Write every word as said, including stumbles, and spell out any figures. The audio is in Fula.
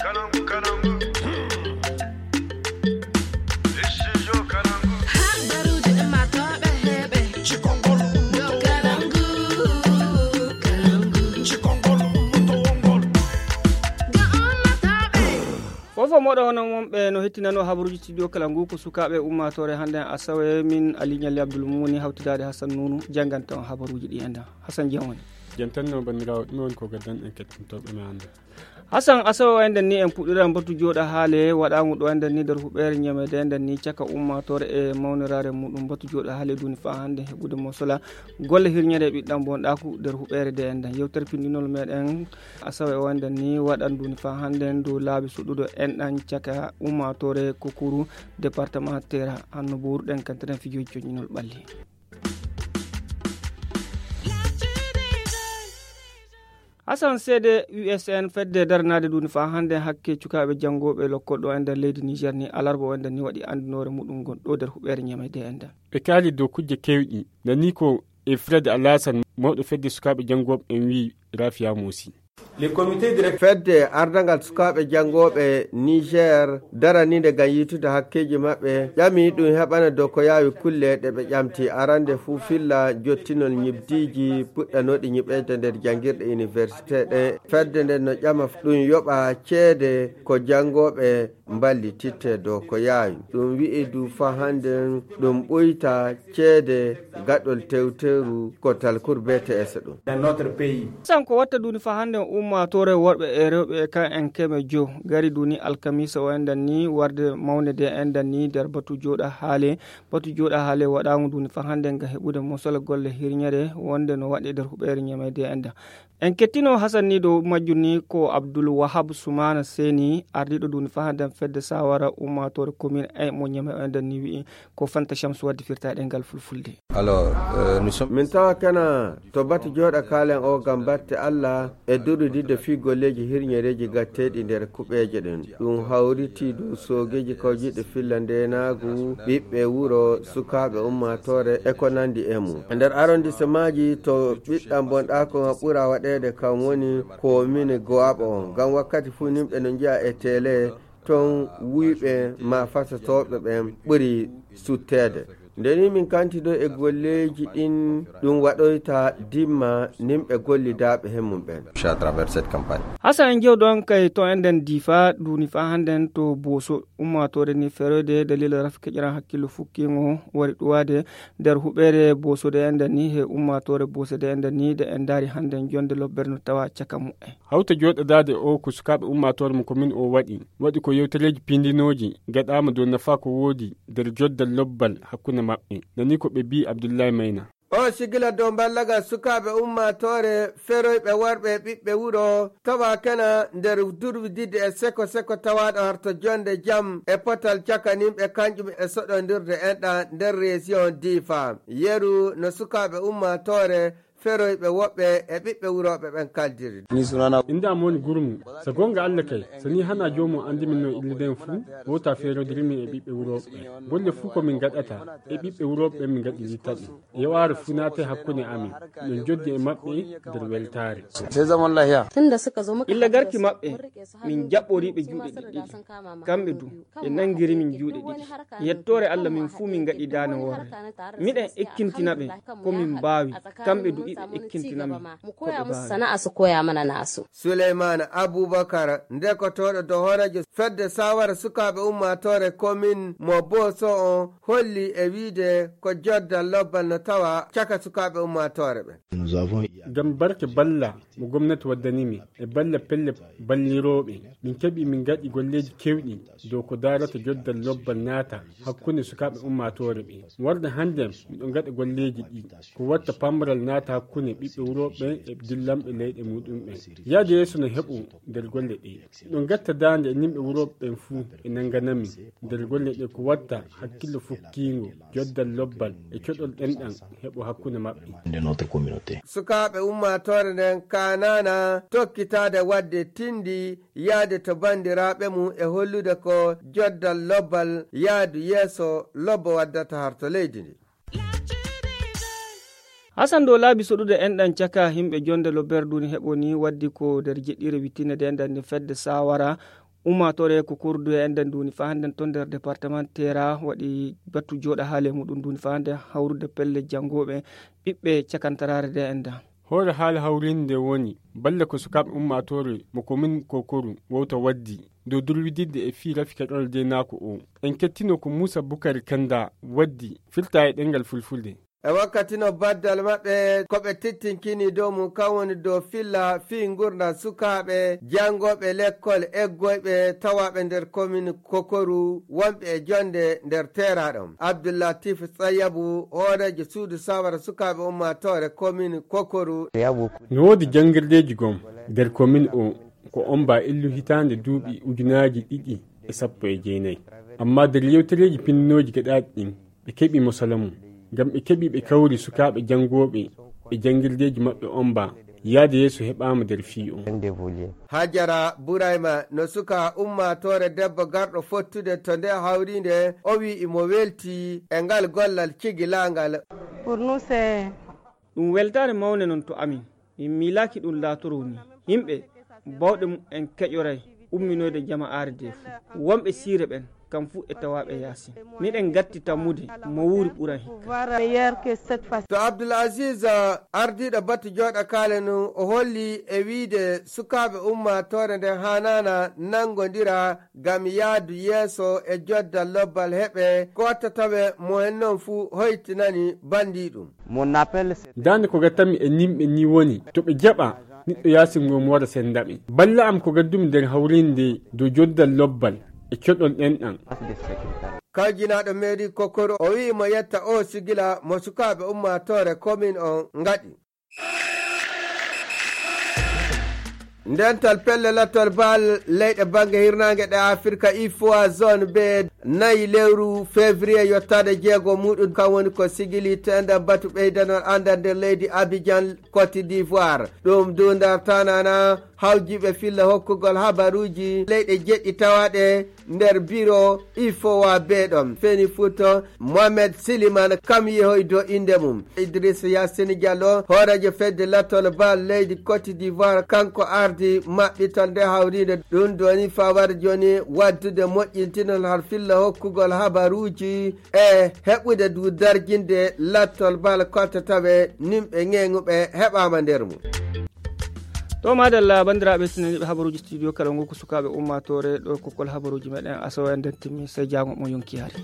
Fof fof moɗo hono wonɓe no hettinano habaruuji studio kala ngu ko sukaaɓe ummaatoore hannde asawe min ali ñalli abdoul mumuni hawtidaade hasan nunu jannganta on habaruuji ɗi enda. Hasan jam woni. Jantanno banndiraawo ɗum woni ko gaddan en kettintooɓe ma hannde. Hasan asawe o enden ni en puɗɗira mbatu jooɗa haale waɗaangu ɗo enden ni nder huɓeere ñamede enden ni caka ummaatoore e mawniraare muɗum mbatu jooɗa haale duni faa hannde heɓude mo sola golle hirñere e ɓiɗɗam bonɗaaku nder huɓeere de enden yewtere pinndinol meɗen. Asawe o enden ni waɗan duni faa hannde ndu laabi suɗɗuɗo enɗan caka ummaatoore kokuru département tera hanno bowruɗen kantiren fijooji coñinol ɓalli. Hasan seede usn fedde daranaade duni faa hannde hakke cukaaɓe janngooɓe lokkol ɗo e nder leydi niger ni alarba o enden ni waɗi anndinoore muɗum ngon ɗo nder huɓeere ñamede enden. Ɓe kaali dow kujje kewɗi nani ko e frede alasan mawɗo fedde sukaaɓe janngooɓe en wii rafiya moosi. Fedde ardangal sukaaɓe janngooɓe niger daraniinde ngam yiitude hakkeeji maɓɓe ƴami ɗum heɓana dow ko yaawi kulle ɗe ɓe ƴamti arande fuu filla jottinol ñibdiiji puɗɗanooɗi ñiɓeyde nder janngirɗe université ɗe. Fedde nden no ƴama ɗum yoɓa ceede ko janngooɓe mballititte dow ko yaawi ɗum wi'i du faa hannden ɗum ɓuyta ceede gaɗol tewteru ko talkur bts ɗum. Sanko watta duni faa hannden ummaatoore worɓe e rewɓe e kan en keme jo gari duni alkamisa o endan ni warde mawnede endan ni nder batu jooɗa haale. Batu jooɗa haale waɗaango duni faa hannden ga heɓude mosol golle hirñere wonde no waɗe nder huɓeere ñamede endan. En kettino hasan ni dow majjum ni ko abdul wahab sumana seni ardiɗo duni faa hannden fedde sawara ummaatoore commune e mo ñame o endan ni wi'i ko fanta chamsu wadde firtaɗe ngal fulfulde. Alors, euh, nous sommes min tawa kana to batu jooɗa kaalen o ngam batte allah e durudidde fii golleeji hirñereeji gatteeɗi nder kuɓeeje ɗen ɗum hawriti dow soogeeji kawjiɗe filla ndeenaagu ɓiɓɓe wuro sukaaɓe ummaatoore e ko nanndi e mum e nder arondisemaaji to ɓiɗɗam bonɗaako ma ɓura waɗeede kam woni ko mini gowaɓo on ngam wakkati fuu nimɓe no njiya e tele ton wuyɓe ma fasotooɓe ɓen ɓuri sutteede. Nde ni min kanti ɗo e golleeji ɗin ɗum waɗoyta dimma nimɓe gollidaaɓe he mum ɓen. Hasan en jewdon kay to enɗen diifa duuni faa hannden to booso ummaatoore ni feroyde dalila rafi keƴran hakkillo fukkingo wari ɗuwaade nder huɓeere boosode enɗen ni he ummaatoore boosode enɗen ni de en ndaari hannden jonde lobbere no tawa caka mu'en. Hawta jooɗodaade o ko sukaaɓe ummaatoore mo komin o waɗi waɗi ko yewtereeji piindinooji gaɗaama dow nafaa ko woodi nder joddal lobbal hakkunde maɓɓe. Nani ko ɓe mbii abdullahi mayna. O sigila dow mballagal sukaaɓe ummaatoore feroyɓe worɓe e ɓiɓɓe wuro tawa kena nder durwididde e seko seko tawaaɗo harto jonde jam e potal cakaninɓe kanƴum e soɗondirde enɗa nder région difa yeru no sukaaɓe ummaatoore feroyɓe woɓɓe e ɓiɓɓe wurooɓe ɓen kaldiri. Inda am woni gurmu. So gonga allah kay so ni hana joomum anndi min no illiden fuu wota feerodiri min e ɓiɓɓe wurooɓe ɓen golle fuu ko min gaɗata e ɓiɓɓe wurooɓe ɓen min gaɗirita ɗum. Yewaare fuu naate hakkunde amin. Min joddi e maɓɓe nder weltaare. Illa garki maɓɓe min jaɓɓoriɓe juuɗe ɗiɗɗiɗi kamɓe du ɓe nanngiri min juuɗe ɗiɗi. Yettoore allah min fuu min ngaɗi daane worre. Miɗen ekkintina ɓe ko min mbaawi. Kamɓe du iɓe ekkintina min ko ɓe mbaawi. Sana'a su koya mana nasu. Suleymana abubakar ndekotooɗo do hooreejo fedde sawara sukaaɓe ummaatoore komin mo booso on holli e wiide ko joddal lobbal no tawa caka sukaaɓe ummaatoore ɓe. Ngam barke balla mo gomnati waddani mi e balla pelle ballirooɓe min keɓi min ngaɗi golleeji kewɗi dow ko daarata joddal lobbal naata hakkunde sukaaɓe ummaatoore ɓe. Warde hannden miɗo ngaɗa golleeji ɗi ko watta pambaral naata hakkunde ɓiɓɓe wurooɓe ɓen e dillanɓe leyɗe muɗum ɓen. Yaade yeeso no heɓo nder golle ɗe. Miɗo ngatta daande e nimɓe wurooɓe ɓen fuu e nannganami nder golle ɗe ko watta hakkillo fukkiingo joddal lobbal e coɗol ɗenɗan heɓo hakkunde maɓɓe. Sukaaɓe ummaatoore nden kaanaana tokkitaade waɗde tinndi yaade to banndiraaɓe mum e hollude ko joddal lobbal yaadu yeeso lobbo waddata harto leydi ndi. Hasan dow laabi soɗude enɗan caka himɓe jonde lobbere duni heɓo ni waddi ko nder jeɗɗire wittinde de enɗan ndi fedde sawara Ummaatoore ko kordude e nden duuni faa hannden ton nder département Teera waɗi battu jooɗa haale muɗum duuni faa hannden hawrude pelle janngooɓe ɓiɓɓe cakantaraare nde enda. Hoore haala hawrinde nde woni balle ko sukaaɓe ummaatoore mo komin Kokoru wowta waddi dow durwididde e fii rafi keɗol deenaaku o. En kettino ko Muusa Bukari Kanda waddi firta e ɗemngal fulfulde. E wakkati no baddal maɓɓe ko ɓe tittinkini dow mum kan woni dow filla fii ngurndan sukaaɓe janngooɓe lekkol eggoyɓe tawaaɓe nder komin Kokoru wonɓe e jonnde nder Teera ɗon. Abdullatif Tsayabu, hooreejo suudu sawara sukaaɓe ummaatoore komin Kokoru. No woodi janngirdeeji gom nder komin o ko omba illu hitaande duuɓi ujunaaji ɗiɗi e sappo e jeenayi. Amma nder yewtereeji pinninooji gaɗaaɗi ɗin, ɓe keɓi mo sala mum. Ngam ɓe keɓi ɓe kawri sukaaɓe janngooɓe e janngirdeeji maɓɓe omba yaade yeeso heɓaama nder fii o. Hajara Burayma no suka ummaatoore debbo garɗo fottude to nde hawriinde, o wi'i mo welti e ngal gollal cigilaangal. Pour nous, c'est ɗum weltaare mawnde non to amin. Min miilaaki ɗum laatoroo nii. Yimɓe baawɗe mum en keƴoray umminoyde jama'aare nde fuu. Wonɓe siire ɓen, kam fuu e tawaaɓe yaasin. Miɗen gatti tammude mo wuuri ɓuran hikka. To Abdul Aziz, ardiiɗo batu jooɗa kaale nun, o holli e wiide sukaaɓe ummaatoore nden haanaana nanngondira ngam yaadu yeeso e joddal lobbal heɓe ko watta tawe mo en non fuu hoytinani banndii ɗum. Daande ko gattanmi e nimɓe nii woni to ɓe jaɓa niɗɗo yaasin ngon wara sennda ɓe. Balla am ko gaddumi nder hawriinde dow joddal lobbal e keɗol ɗenɗan. Kawjinaaɗo meeri Kokoru o wi'i mo yetta o sigila mo sukaaɓe ummaatoore komin on ngaɗi. Ndental pelle lattol bal leyɗe bannge hirnaange ɗe Afirka ifowa zone B nayi lewru février yottaade jeego muɗum kan woni ko sigili tenda batu ɓeydanol anndal nder leydi Abidjan Côte d'Ivoire. Ɗum duundar tanana hawjiiɓe filla hokkugol habaruuji leyɗe jeɗɗi tawaaɗe nder biro ifowa beeɗo feni futo mohamed siliman kam yehoy do innde mum. Idrissa yassine diallo hooreejo fedde lattol bal leydi côte d'ivoire kanko ardi maɓɓitol nde hawriinde ɗum doni fawar joni waddude moƴƴintinol har filla hokkugol habaruuji e heɓude du darjinde lattol bal kotta tawe nimɓe ŋeŋuɓe heɓaama nder mum. To madalla banndiraaɓe sinaniiɓe habaruuji studio kala ngu ko sukaaɓe ummaatoore ɗo kokkol habaruuji meɗen asawa en nden timmi sey jaango mo yonki hari.